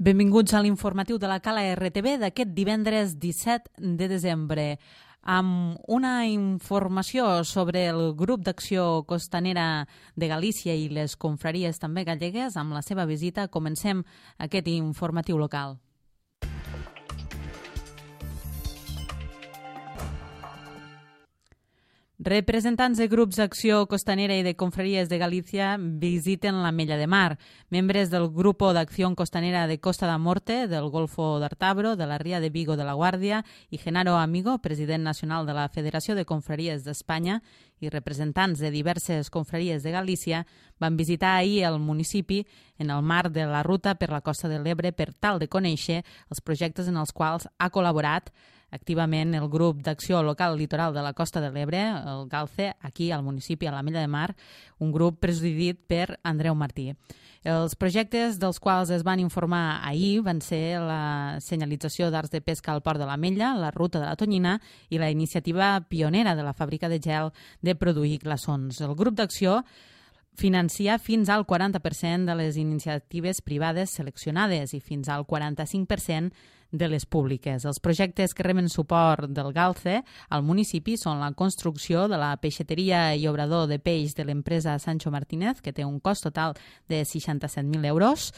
Benvinguts a l'informatiu de la Cala RTV d'aquest divendres 17 de desembre, amb una informació sobre el grup d'acció costanera de Galícia i les confraries també gallegues. Amb la seva visita comencem aquest informatiu local. Representants de grups d'acció costanera i de confraries de Galícia visiten l'Ametlla de Mar. Membres del Grupo d'Acción Costanera de Costa da Morte, del Golfo d'Artabro, de la Ría de Vigo de la Guàrdia i Genaro Amigo, president nacional de la Federació de Confraries d'Espanya, i representants de diverses confraries de Galícia van visitar ahir el municipi en el marc de la ruta per la Costa de l'Ebre per tal de conèixer els projectes en els quals ha col·laborat activament el grup d'acció local litoral de la Costa de l'Ebre, el GALCE, aquí al municipi, a l'Ametlla de Mar, un grup presidit per Andreu Martí. Els projectes dels quals es van informar ahir van ser la senyalització d'arts de pesca al port de l'Ametlla, la ruta de la Tonyina i la iniciativa pionera de la fàbrica de gel de produir glaçons. El grup d'acció financia fins al 40% de les iniciatives privades seleccionades i fins al 45% de les públiques. Els projectes que reben suport del GALCE al municipi són la construcció de la peixateria i obrador de peix de l'empresa Sancho Martínez, que té un cost total de 67.000 euros,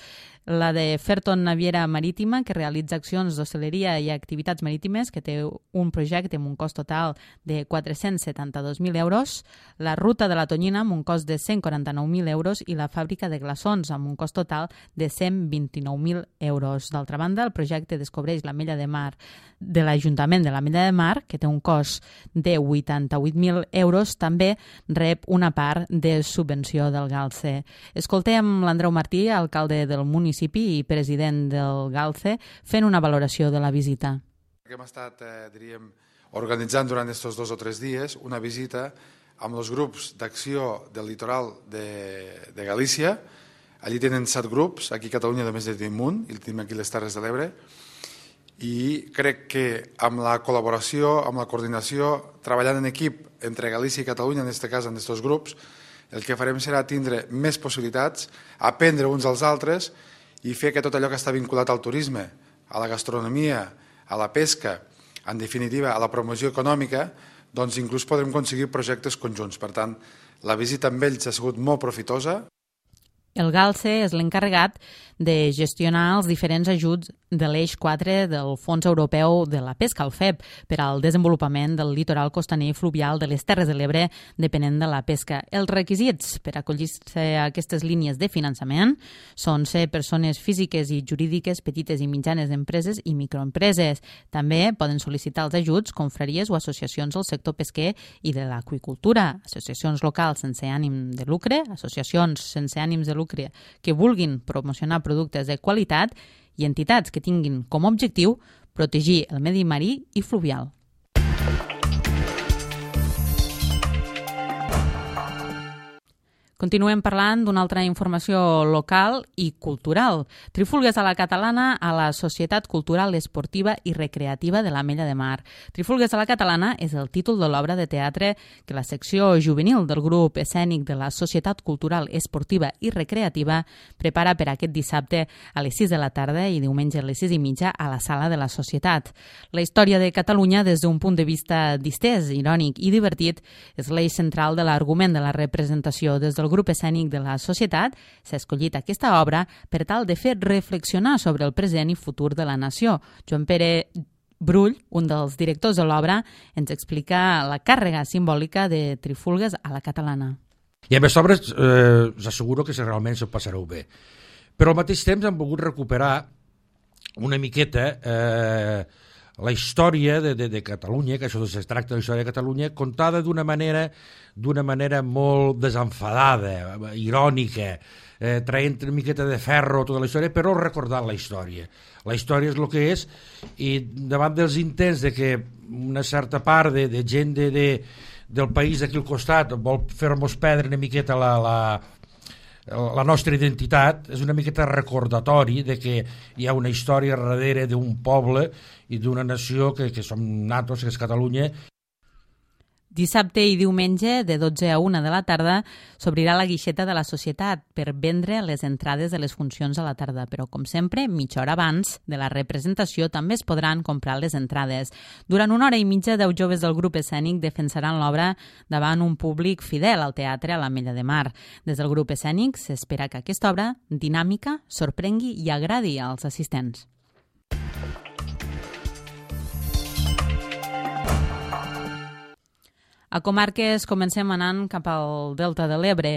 la de Ferton Naviera Marítima, que realitza accions d'hostaleria i activitats marítimes, que té un projecte amb un cost total de 472.000 euros, la ruta de la Tonyina amb un cost de 149.000 euros i la fàbrica de glaçons amb un cost total de 129.000 euros. D'altra banda, el projecte descobreix l'Ametlla de Mar de l'Ajuntament de l'Ametlla de Mar, que té un cost de 88.000 euros, també rep una part de subvenció del GALCE. Escoltem l'Andreu Martí, alcalde del municipi i president del GALCE, fent una valoració de la visita. Hem estat, organitzant durant aquests 2 o 3 dies una visita amb els grups d'acció del litoral de Galícia. Allí tenen 7 grups, aquí a Catalunya només en tenim un, i tenim aquí les Terres de l'Ebre, i crec que amb la col·laboració, amb la coordinació, treballant en equip entre Galícia i Catalunya, en aquest cas en aquests grups, el que farem serà tindre més possibilitats, aprendre uns als altres i fer que tot allò que està vinculat al turisme, a la gastronomia, a la pesca, en definitiva a la promoció econòmica, doncs inclús podrem aconseguir projectes conjunts. Per tant, la visita amb ells ha sigut molt profitosa. El GALCE és l'encarregat de gestionar els diferents ajuts de l'eix 4 del Fons Europeu de la Pesca, el FEP, per al desenvolupament del litoral costaner i fluvial de les Terres de l'Ebre depenent de la pesca. Els requisits per acollir-se a aquestes línies de finançament són ser persones físiques i jurídiques, petites i mitjanes empreses i microempreses. També poden sol·licitar els ajuts confraries o associacions del sector pesquer i de l'aqüicultura, associacions locals sense ànim de lucre, associacions sense ànims de lucre que vulguin promocionar productes de qualitat i entitats que tinguin com a objectiu protegir el medi marí i fluvial. Continuem parlant d'una altra informació local i cultural. Trifulgues a la catalana a la Societat Cultural Esportiva i Recreativa de l'Ametlla de Mar. Trifulgues a la catalana és el títol de l'obra de teatre que la secció juvenil del grup escènic de la Societat Cultural Esportiva i Recreativa prepara per aquest dissabte a les 6 de la tarda i diumenge a les 6:30 a la sala de la Societat. La història de Catalunya des d'un punt de vista distès, irònic i divertit és l'eix central de l'argument de la representació. Des del grup escènic de la Societat s'ha escollit aquesta obra per tal de fer reflexionar sobre el present i futur de la nació. Joan Pere Brull, un dels directors de l'obra, ens explica la càrrega simbòlica de Trifulgues a la catalana. I amb aquesta obra us asseguro que realment s'ho passareu bé. Però al mateix temps hem volgut recuperar una miqueta la història de Catalunya, que això es tracta de la història de Catalunya, contada d'una manera molt desenfadada, irònica, traient una miqueta de ferro tota la història, però recordant la història. La història és el que és, i davant dels intents de que una certa part de gent del país d'aquí al costat vol fer-nos perdre una miqueta la nostra identitat, és una miqueta recordatori de que hi ha una història darrere d'un poble i d'una nació que som nosaltres, que és Catalunya. Dissabte i diumenge, de 12 a 1 de la tarda, s'obrirà la guixeta de la Societat per vendre les entrades de les funcions a la tarda, però, com sempre, mitja hora abans de la representació també es podran comprar les entrades. Durant 1 hora i mitja, 10 joves del grup escènic defensaran l'obra davant un públic fidel al teatre a l'Ametlla de Mar. Des del grup escènic s'espera que aquesta obra dinàmica sorprengui i agradi als assistents. A comarques comencem anant cap al Delta de l'Ebre.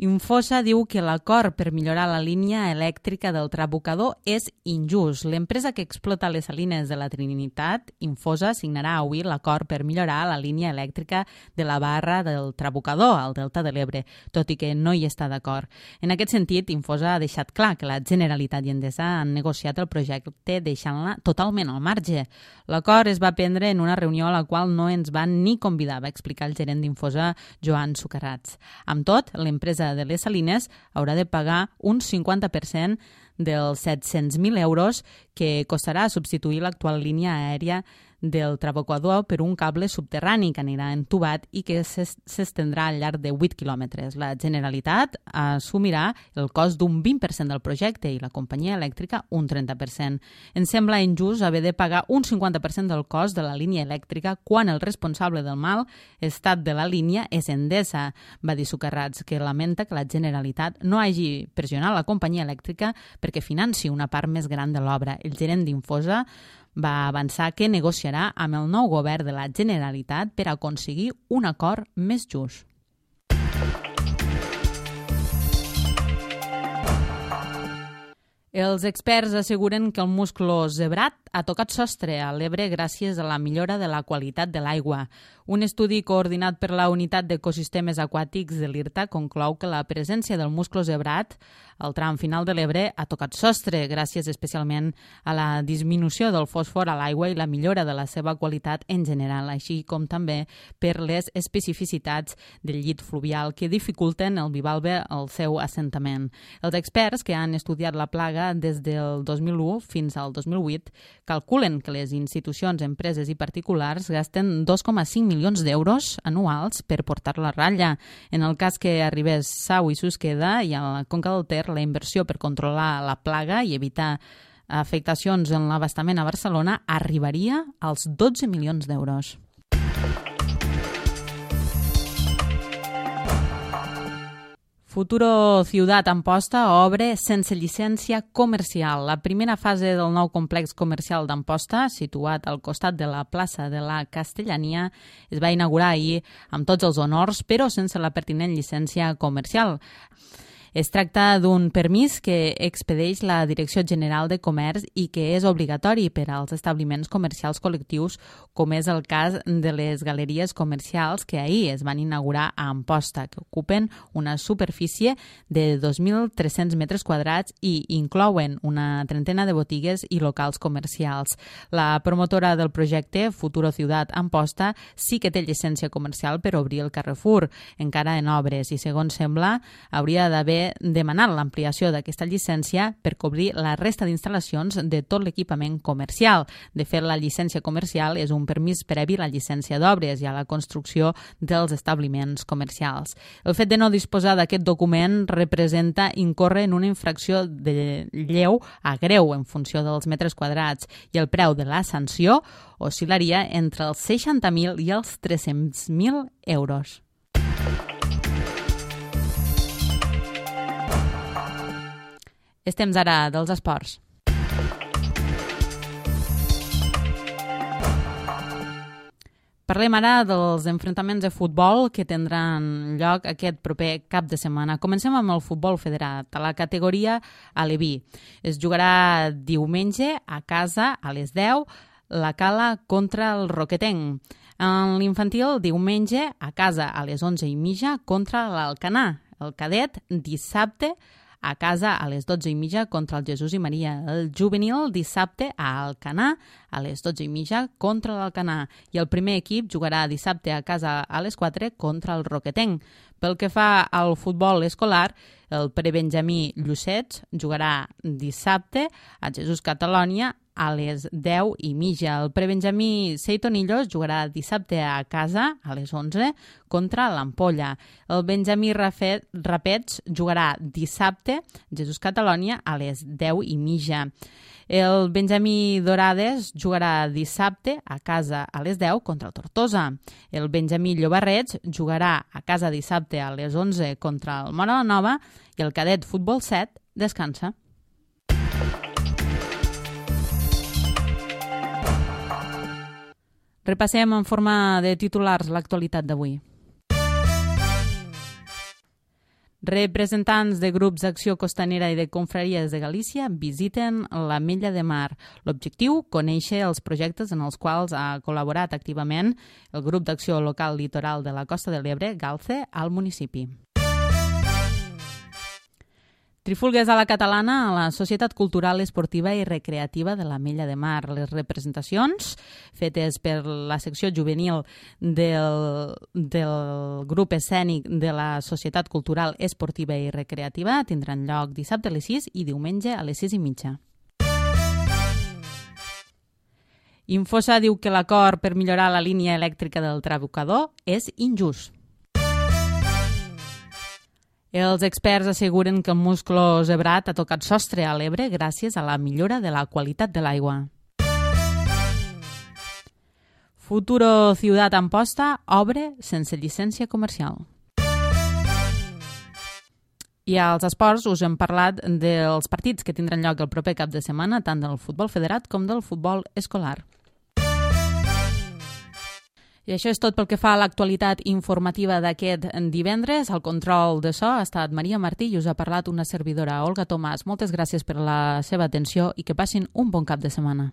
Infosa diu que l'acord per millorar la línia elèctrica del Trabucador és injust. L'empresa que explota les salines de la Trinitat, Infosa, signarà avui l'acord per millorar la línia elèctrica de la barra del Trabucador al Delta de l'Ebre, tot i que no hi està d'acord. En aquest sentit, Infosa ha deixat clar que la Generalitat i Endesa han negociat el projecte deixant-la totalment al marge. L'acord es va prendre en una reunió a la qual no ens van ni convidar, va explicar el gerent d'Infosa, Joan Sucarrats. Amb tot, l'empresa de les Salines haurà de pagar un 50% dels 700.000 euros que costarà substituir l'actual línia aèria del Trabucador per un cable subterrani que anirà entubat i que s'estendrà al llarg de 8 quilòmetres. La Generalitat assumirà el cost d'un 20% del projecte i la companyia elèctrica un 30%. Ens sembla injust haver de pagar un 50% del cost de la línia elèctrica quan el responsable del mal estat de la línia és Endesa, va dir Sucarrats, que lamenta que la Generalitat no hagi pressionat la companyia elèctrica perquè financi una part més gran de l'obra. El gerent d'Infosa va avançar que negociarà amb el nou govern de la Generalitat per aconseguir un acord més just. Els experts asseguren que el musclo zebrat ha tocat sostre a l'Ebre gràcies a la millora de la qualitat de l'aigua. Un estudi coordinat per la Unitat d'Ecosistemes Aquàtics de l'IRTA conclou que la presència del musclo zebrat al tram final de l'Ebre ha tocat sostre, gràcies especialment a la disminució del fòsfor a l'aigua i la millora de la seva qualitat en general, així com també per les especificitats del llit fluvial que dificulten el bivalve al seu assentament. Els experts que han estudiat la plaga des del 2001 fins al 2008 calculen que les institucions, empreses i particulars gasten 2,5 milions d'euros anuals per portar-la a ratlla. En el cas que arribés Sau i Susqueda i a la Conca del Ter, la inversió per controlar la plaga i evitar afectacions en l'abastament a Barcelona arribaria als 12 milions d'euros. Futuro Ciutat Amposta obre sense llicència comercial. La primera fase del nou complex comercial d'Amposta, situat al costat de la plaça de la Castellania, es va inaugurar ahir amb tots els honors, però sense la pertinent llicència comercial. Es tracta d'un permís que expedeix la Direcció General de Comerç i que és obligatori per als establiments comercials col·lectius, com és el cas de les galeries comercials que ahir es van inaugurar a Amposta, que ocupen una superfície de 2.300 metres quadrats i inclouen una trentena de botigues i locals comercials. La promotora del projecte, Futuro Ciutat Amposta, sí que té llicència comercial per obrir el Carrefour, encara en obres, i segons sembla hauria d'haver demanat l'ampliació d'aquesta llicència per cobrir la resta d'instal·lacions de tot l'equipament comercial. De fet, la llicència comercial és un permís previ a la llicència d'obres i a la construcció dels establiments comercials. El fet de no disposar d'aquest document representa incórrer en una infracció de lleu a greu en funció dels metres quadrats i el preu de la sanció oscil·laria entre els 60.000 i els 300.000 euros. És temps ara dels esports. Parlem ara dels enfrontaments de futbol que tindran lloc aquest proper cap de setmana. Comencem amb el futbol federat, a la categoria Aleví. Es jugarà diumenge a casa a les 10, la Cala contra el Roquetenc. En l'infantil, diumenge a casa a les 11:30 contra l'Alcanar. El cadet, dissabte a casa a les 12:30 contra el Jesús i Maria. El juvenil dissabte a Alcanar a les 12:30 contra l'Alcanar. I el primer equip jugarà dissabte a casa a les 4 contra el Roquetenc. Pel que fa al futbol escolar, el prebenjamí Llucets jugarà dissabte a Jesús Catalònia a les 10:30. El prebenjamí Seitonillos jugarà dissabte a casa a les 11 contra l'Ampolla. El benjamí Rapets jugarà dissabte Jesús Catalònia a les 10:30. El benjamí Dorades jugarà dissabte a casa a les 10 contra el Tortosa. El benjamí Llobarrets jugarà a casa dissabte a les 11 contra el Móra la Nova i el cadet Futbol 7 descansa. Repassem en forma de titulars l'actualitat d'avui. Representants de grups d'acció costanera i de confraries de Galícia visiten l'Ametlla de Mar. L'objectiu, conèixer els projectes en els quals ha col·laborat activament el grup d'acció local litoral de la Costa de l'Ebre, GALCE, al municipi. Trifulgues a la catalana a la Societat Cultural, Esportiva i Recreativa de l'Ametlla de Mar. Les representacions fetes per la secció juvenil del grup escènic de la Societat Cultural, Esportiva i Recreativa tindran lloc dissabte a les 6 i diumenge a les 6:30. Infosa diu que l'acord per millorar la línia elèctrica del Trabucador és injust. Els experts asseguren que el musclo zebrat ha tocat sostre a l'Ebre gràcies a la millora de la qualitat de l'aigua. Futuro Ciudad Amposta obre sense llicència comercial. I als esports us hem parlat dels partits que tindran lloc el proper cap de setmana, tant del futbol federat com del futbol escolar. I això és tot pel que fa a l'actualitat informativa d'aquest divendres. Al control de so ha estat Maria Martí i us ha parlat una servidora, Olga Tomàs. Moltes gràcies per la seva atenció i que passin un bon cap de setmana.